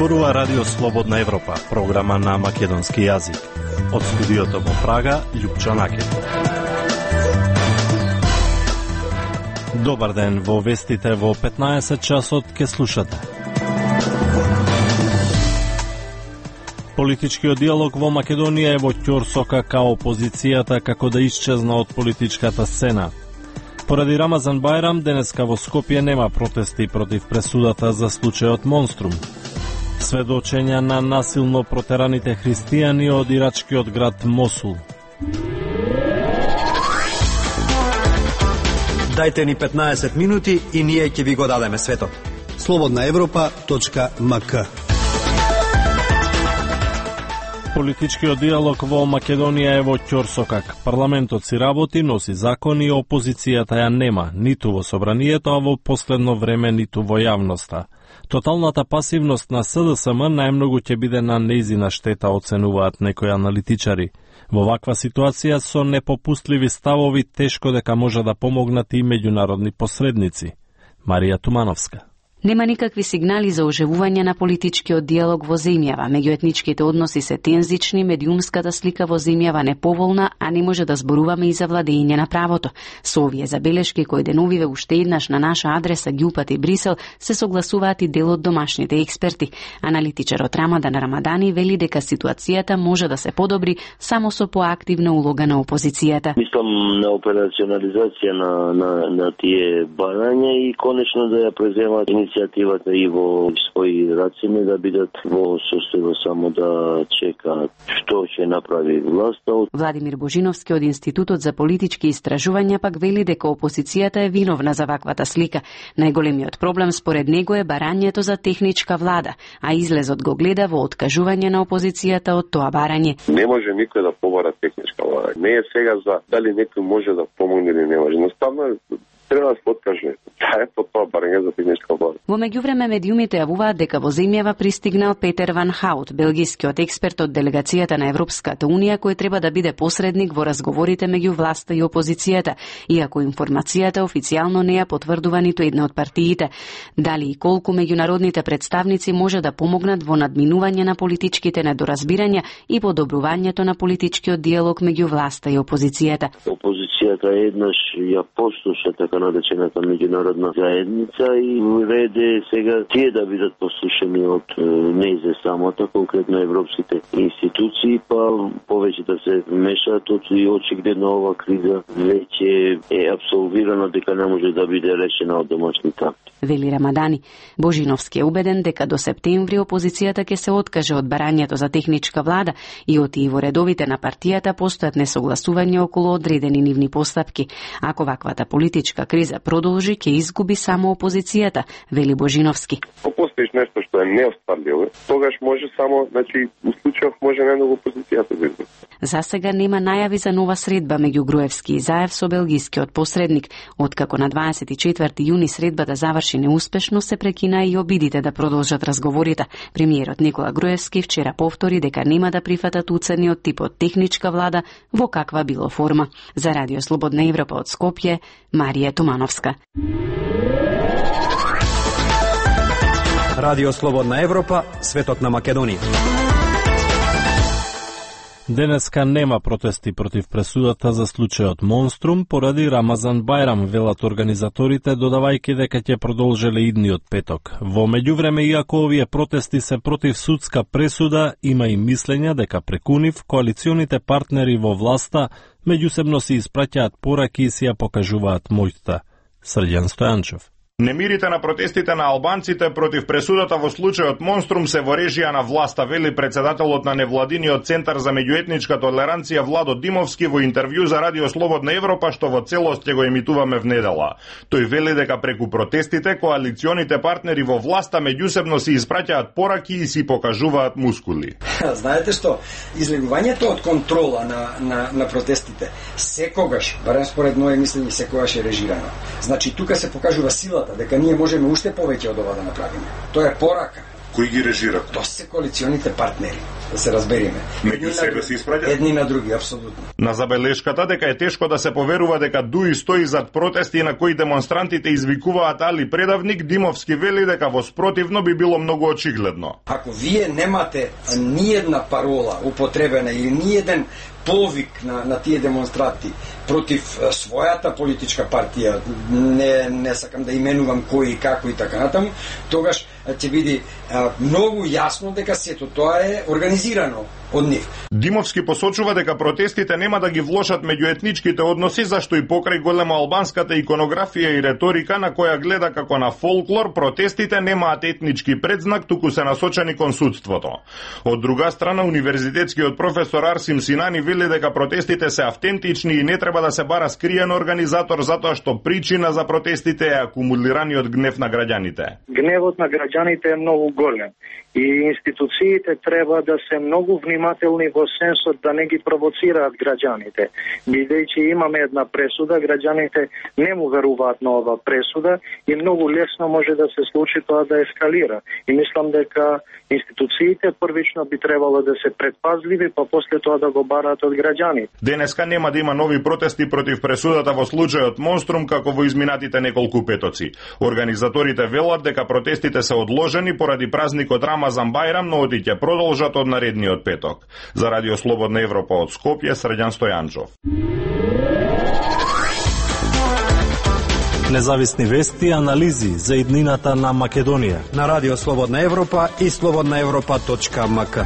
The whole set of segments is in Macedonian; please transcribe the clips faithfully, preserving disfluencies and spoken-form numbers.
зборува Радио Слободна Европа, програма на македонски јазик. Од студиото во Прага, Љупчо Накет. Добар ден, во вестите во петнаесет часот ке слушате. Политичкиот диалог во Македонија е во ќорсока као опозицијата како да исчезна од политичката сцена. Поради Рамазан Бајрам, денеска во Скопје нема протести против пресудата за случајот Монструм. Сведочења на насилно протераните христијани од ирачкиот град Мосул. Дајте ни петнаесет минути и ние ќе ви го дадеме светот. слободна европа точка ем ка. Политичкиот диалог во Македонија е во ќорсокак. Парламентот си работи, носи закони, опозицијата ја нема, ниту во собранието, а во последно време ниту во јавноста. Тоталната пасивност на С Д С М најмногу ќе биде на нејзина штета, оценуваат некои аналитичари. Во ваква ситуација со непопустливи ставови тешко дека може да помогнат и меѓународни посредници. Марија Тумановска. Нема никакви сигнали за оживување на политичкиот диалог во земјава. Меѓуетничките односи се тензични, медиумската слика во земјава неповолна, а не може да зборуваме и за владење на правото. Со овие забелешки кои деновиве уште еднаш на наша адреса ги упати Брисел, се согласуваат и дел од домашните експерти. Аналитичарот Рамадан Рамадани вели дека ситуацијата може да се подобри само со поактивна улога на опозицијата. Мислам на операционализација на, на, на тие барања и конечно да ја преземат иницијативата и во своји раци, да бидат во состојба само да чекаат што ќе направи власта. Владимир Божиновски од Институтот за политички истражувања пак вели дека опозицијата е виновна за ваквата слика. Најголемиот проблем според него е барањето за техничка влада, а излезот го гледа во откажување на опозицијата од тоа барање. Не може никој да побара техничка влада. Не е сега за дали некој може да помогне или не може. Наставно треба да се откаже. Таа е по тоа барање за техничка влада. Во меѓувреме медиумите јавуваат дека во земјава пристигнал Петер Ван Хаут, белгискиот експерт од делегацијата на Европската унија, кој треба да биде посредник во разговорите меѓу власта и опозицијата, иако информацијата официјално не ја потврдува ниту една од партиите. Дали и колку меѓународните представници може да помогнат во надминување на политичките недоразбирања и подобрувањето на политичкиот диалог меѓу власта и опозицијата. Опозицијата еднаш ја послуша така наречената меѓународна заедница и реде сега тие да бидат послушани од нејзе самата, конкретно европските институции, па повеќе да се вмешаат, и очигледно ова криза веќе е абсолвирана дека не може да биде решена од домашните акти. Вели Рамадани. Божиновски е убеден дека до септември опозицијата ќе се откаже од барањето за техничка влада и оти во редовите на партијата постојат несогласување околу одредени нивни постапки. Ако ваквата политичка криза продолжи, ќе изгуби само опозицијата, вели Божиновски. Ако постоиш нешто што е неостварливо, тогаш може само, значи, у случајов може најмногу опозицијата да изгуби. За сега нема најави за нова средба меѓу Груевски и Заев со белгискиот посредник. Откако на дваесет и четврти јуни средбата заврши неуспешно, се прекина и обидите да продолжат разговорите. Премиерот Никола Груевски вчера повтори дека нема да прифатат уцени од типот техничка влада во каква било форма. За Радио Слободна Европа од Скопје, Марија Тумановска. Радио Слободна Европа, светот на Македонија. Денеска нема протести против пресудата за случајот Монструм поради Рамазан Бајрам, велат организаторите, додавајќи дека ќе продолжеле идниот петок. Во меѓувреме, иако овие протести се против судска пресуда, има и мислења дека преку нив коалиционите партнери во власта меѓусебно си испраќаат пораки и си ја покажуваат моќта. Срđan Стојанчев. Немирите на протестите на албанците против пресудата во случајот Монструм се во режија на власта, вели председателот на невладиниот центар за меѓуетничка толеранција Владо Димовски во интервју за Радио Слободна Европа, што во целост ќе го емитуваме в недела. Тој вели дека преку протестите коалиционите партнери во власта меѓусебно си испраќаат пораки и си покажуваат мускули. Знаете што, излегувањето од контрола на, на, на протестите секогаш, барем според моје мислење, секогаш е режирано. Значи тука се покажува сила дека ние можеме уште повеќе од ова да направиме. Тоа е порака. Кои ги режира? Тоа се коалиционите партнери. да се разбереме. Меѓу себе се испраќаат едни на други, апсолутно. На забелешката дека е тешко да се поверува дека ДУИ стои зад протести на кои демонстрантите извикуваат Али Предавник, Димовски вели дека во спротивно би било многу очигледно. Ако вие немате ниедна парола употребена или ниеден повик на, на тие демонстранти против својата политичка партија, не, не сакам да именувам кој и како и така натаму, тогаш ќе биде а, многу јасно дека сето тоа е организирано од нив. Димовски посочува дека протестите нема да ги влошат меѓуетничките односи, зашто и покрај големо албанската иконографија и реторика на која гледа како на фолклор, протестите немаат етнички предзнак, туку се насочени кон судството. Од друга страна, универзитетскиот професор Арсим Синани вели дека протестите се автентични и не треба да се бара скриен организатор, затоа што причина за протестите е акумулираниот гнев на граѓаните. Гневот на граѓаните е многу голем и институциите треба да се многу внимателни во сенсот да не ги провоцираат граѓаните. Бидејќи имаме една пресуда, граѓаните не му веруваат на ова пресуда и многу лесно може да се случи тоа да ескалира. И мислам дека институциите првично би требало да се предпазливи, па после тоа да го бараат од граѓаните. Денеска нема да има нови протести против пресудата во случајот Монструм како во изминатите неколку петоци. Организаторите велат дека протестите се одложени поради празникот Рамазан Бајрам, но оти ќе продолжат од наредниот петок. За Радио Слободна Европа од Скопје, Срđan Стојанчов. Независни вести и анализи за иднината на Македонија на Радио Слободна Европа и слободна европа точка ем ка.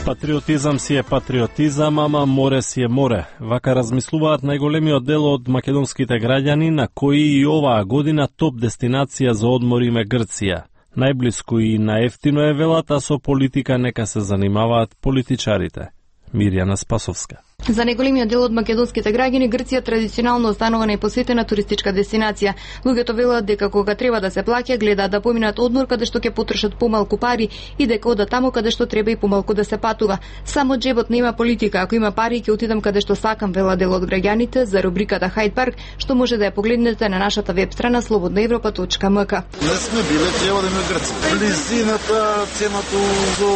Патриотизам си е патриотизам, ама море си е море. Вака размислуваат најголемиот дел од македонските граѓани, на кои и оваа година топ дестинација за одмор им е Грција. Најблиску и наевтино е велата, со политика нека се занимаваат политичарите. Мирјана Спасовска. За најголемиот дел од македонските граѓани, Грција традиционално останува најпосетена туристичка дестинација. Луѓето велат дека кога треба да се плаќа, гледаат да поминат одмор каде што ќе потрошат помалку пари и дека одат таму каде што треба и помалку да се патува. Само џебот нема политика, ако има пари ќе отидам каде што сакам, вела дел од граѓаните за рубриката Хайд парк, што може да ја погледнете на нашата веб страна слободна европа точка ем ка. Не сме биле, треба да има Грција. Близината, цената до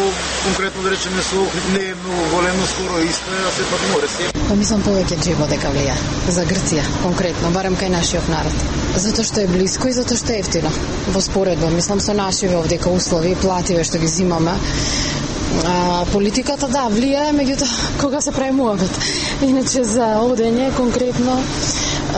конкретно да речеме со не е многу големо, скоро исто е, а сепак море се. Па мислам повеќе џебот дека влија за Грција, конкретно, барем кај нашиот народ. Затоа што е блиско и затоа што е ефтино. Во споредба, мислам со нашиве овдека услови, плативе што ги зимаме. А, политиката да влијае, меѓутоа кога се прави муабет. Иначе за одење конкретно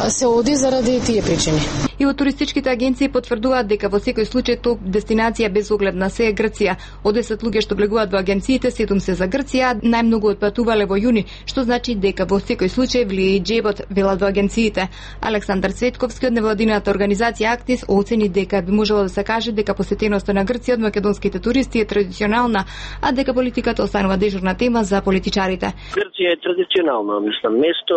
се оди заради тие причини. И во туристичките агенции потврдуваат дека во секој случај топ дестинација без оглед на се е Грција. Од десет луѓе што влегуваат во агенциите, седум се за Грција, најмногу отпатувале во јуни, што значи дека во секој случај влие и џебот, велат во агенциите. Александар Цветковски од невладината организација Актис оцени дека би можело да се каже дека посетеноста на Грција од македонските туристи е традиционална, а дека политиката останува дежурна тема за политичарите. Грција е традиционално, мислам, место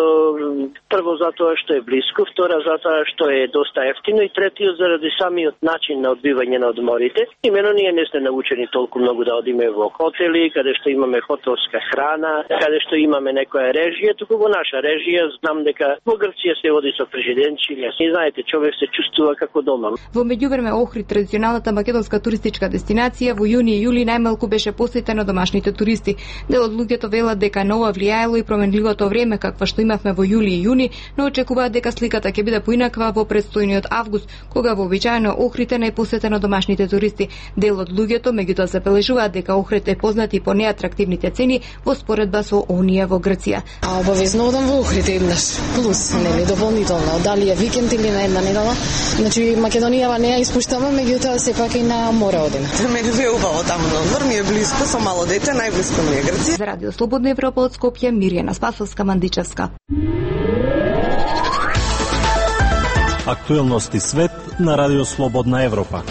прво затоа што е блиско, втора затоа што е доста ефтино и третиот заради самиот начин на одбивање на одморите. Имено ние не сме научени толку многу да одиме во хотели, каде што имаме хотелска храна, каде што имаме некоја режија, туку во наша режија знам дека во Грција се оди со фрижиденчиња. И знаете, човек се чувствува како дома. Во меѓувреме Охрид, традиционалната македонска туристичка дестинација, во јуни и јули најмалку беше посетена домашните туристи. Дел од луѓето велат дека нова влијаело и променливото време каква што имавме во јули и јуни, но очекуваат дека сликата ќе биде поинаква во предстојниот август, кога вообичаено Охрид е најпосетено домашните туристи. Дел од луѓето меѓутоа се бележуваат дека Охрид е познат и по неатрактивните цени во споредба со оние во Грција. А обавезно одам во Охрид еднаш, плюс, нели, дополнително, дали е викенд или на една недела. Значи Македонија не ја испуштаме, меѓутоа сепак и на море одиме. Мене ме убаво таму на одмор, ми е близко, со мало дете, најблиско ми е Грција. За Радио Слободна Европа од Скопје, Мирјана Спасовска, Мандичевска. Актуелности свет на Радио Слободна Европа.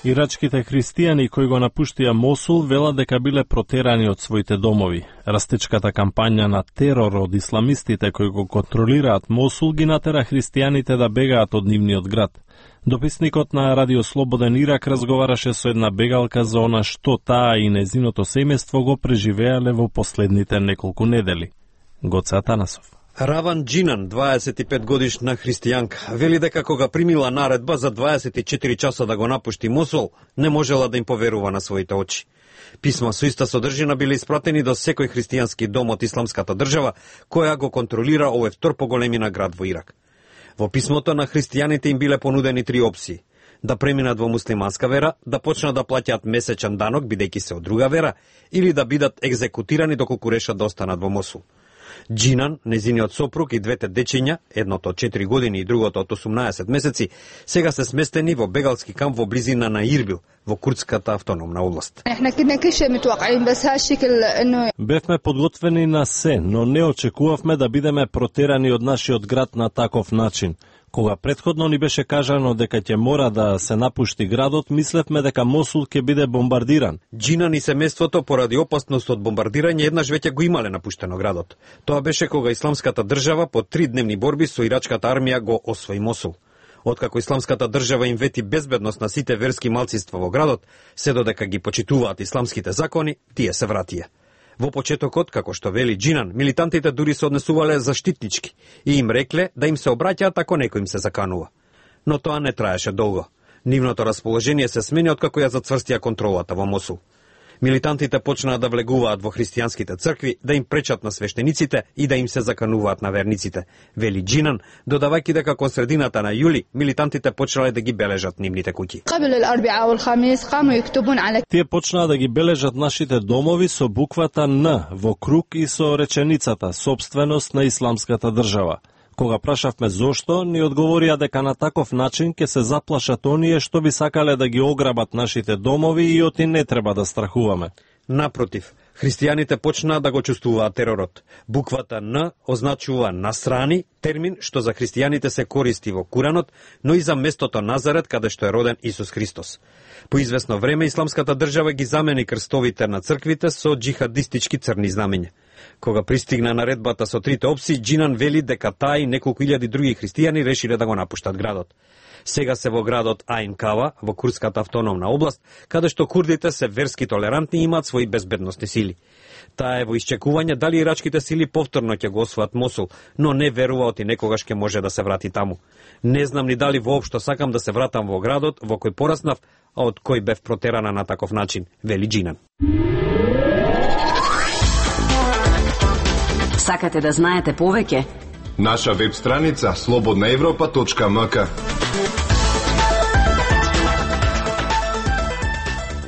Ирачките христијани кои го напуштија Мосул велат дека биле протерани од своите домови. Растечката кампања на терор од исламистите кои го контролираат Мосул ги натера христијаните да бегаат од нивниот град. Дописникот на Радио Слободен Ирак разговараше со една бегалка за она што таа и незиното семејство го преживеале во последните неколку недели. Гоце Атанасов. Раван Джинан, дваесет и пет годишна христијанка, вели дека кога примила наредба за дваесет и четири часа да го напушти Мосул, не можела да им поверува на своите очи. Писма со иста содржина биле испратени до секој христијански дом од исламската држава, која го контролира овој втор по големина град во Ирак. Во писмото на христијаните им биле понудени три опции: да преминат во муслиманска вера, да почнат да плаќаат месечен данок бидејќи се од друга вера, или да бидат екзекутирани доколку решат да останат во Мосул. Джинан, незиниот сопруг и двете дечиња, едното од четири години и другото од осумнаесет месеци, сега се сместени во бегалски камп во близина на Ирбил, во курдската автономна област. Бевме подготвени на се, но не очекувавме да бидеме протерани од нашиот град на таков начин. Кога претходно ни беше кажано дека ќе мора да се напушти градот, мислевме дека Мосул ќе биде бомбардиран. Джинан и семејството поради опасност од бомбардирање еднаш веќе го имале напуштено градот. Тоа беше кога исламската држава по три дневни борби со ирачката армија го освои Мосул. Откако исламската држава им вети безбедност на сите верски малцинства во градот, се додека ги почитуваат исламските закони, тие се вратија. Во почетокот, како што вели Джинан, милитантите дури се однесувале заштитнички и им рекле да им се обраќаат ако некој им се заканува. Но тоа не траеше долго. Нивното расположение се смени откако ја зацврстија контролата во Мосул. Милитантите почнаа да влегуваат во христијанските цркви, да им пречат на свештениците и да им се закануваат на верниците, вели Джинан, додавајќи дека кон средината на јули милитантите почнале да ги бележат нивните куќи. Тие почнаа да ги бележат нашите домови со буквата Н во круг и со реченицата собственост на исламската држава. Кога прашавме зошто, ни одговорија дека на таков начин ќе се заплашат оние што би сакале да ги ограбат нашите домови и оти не треба да страхуваме. Напротив, христијаните почнаа да го чувствуваат теророт. Буквата Н означува насрани, термин што за христијаните се користи во Куранот, но и за местото Назарет каде што е роден Исус Христос. По известно време исламската држава ги замени крстовите на црквите со джихадистички црни знамења. Кога пристигна наредбата со трите опции, Джинан вели дека таа и неколку илјади други христијани решиле да го напуштат градот. Сега се во градот Айн Кава, во курдската автономна област, каде што курдите се верски толерантни и имаат своји безбедностни сили. Таа е во исчекување дали ирачките сили повторно ќе го освојат Мосул, но не верува оти некогаш ќе може да се врати таму. Не знам ни дали воопшто сакам да се вратам во градот во кој пораснав, а од кој бев протерана на таков начин, вели Джинан. Сакате да знаете повеќе? Наша веб страница слободна европа точка ем ка.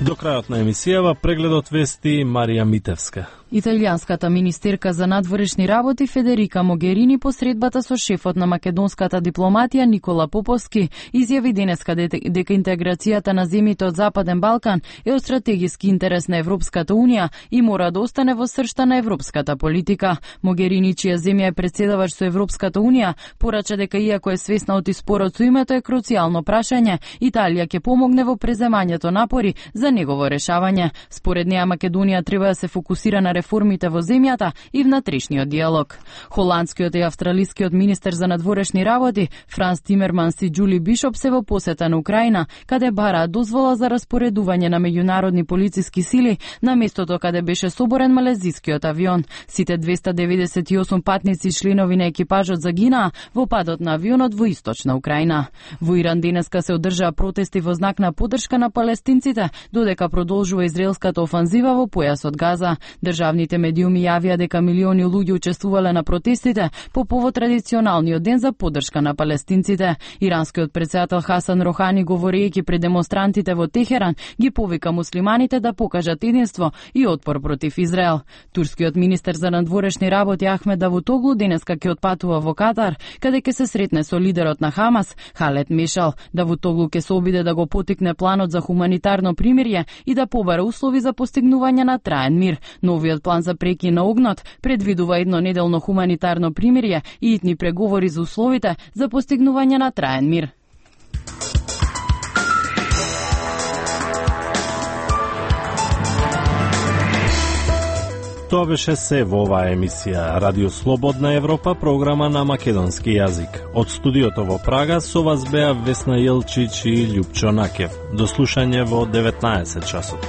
До крајот на емисијава прегледот вести Марија Митевска. Италијанската министерка за надворешни работи Федерика Могерини по средбата со шефот на македонската дипломатија Никола Поповски изјави денеска дека интеграцијата на земјите од Западен Балкан е од стратегиски интерес на Европската унија и мора да остане во сршта на европската политика. Могерини, чија земја е претседавач со Европската унија, порача дека иако е свесна од спорот со името е круцијално прашање, Италија ќе помогне во преземањето напори за негово решавање. Според неа Македонија треба да се фокусира на реформите во земјата и внатрешниот диалог. Холандскиот и австралискиот министер за надворешни работи Франс Тимерманс и Џули Бишоп се во посета на Украина, каде бараат дозвола за распоредување на меѓународни полициски сили на местото каде беше соборен малезискиот авион. Сите двеста деветдесет и осум патници и членови на екипажот загинаа во падот на авионот во источна Украина. Во Иран денеска се одржаа протести во знак на поддршка на палестинците, додека продолжува израелската офанзива во појасот Газа. Државните медиуми јавија дека милиони луѓе учествувале на протестите по повод традиционалниот ден за поддршка на палестинците. Иранскиот претседател Хасан Рохани, говорејќи пред демонстрантите во Техеран, ги повика муслиманите да покажат единство и отпор против Израел. Турскиот министер за надворешни работи Ахмед Давутоглу денеска ќе отпатува во Катар, каде ќе се сретне со лидерот на Хамас Халет Мешал. Давутоглу ќе се обиде да го потикне планот за хуманитарно примирје и да побара услови за постигнување на траен мир. Новиот план за прекин на огнот предвидува еднонеделно хуманитарно примирје и итни преговори за условите за постигнување на траен мир. Тоа беше се во оваа емисија Радио Слободна Европа, програма на македонски јазик. Од студиото во Прага со вас беа Весна Јелчич и Љупчо Накев. До слушање во деветнаесет часот.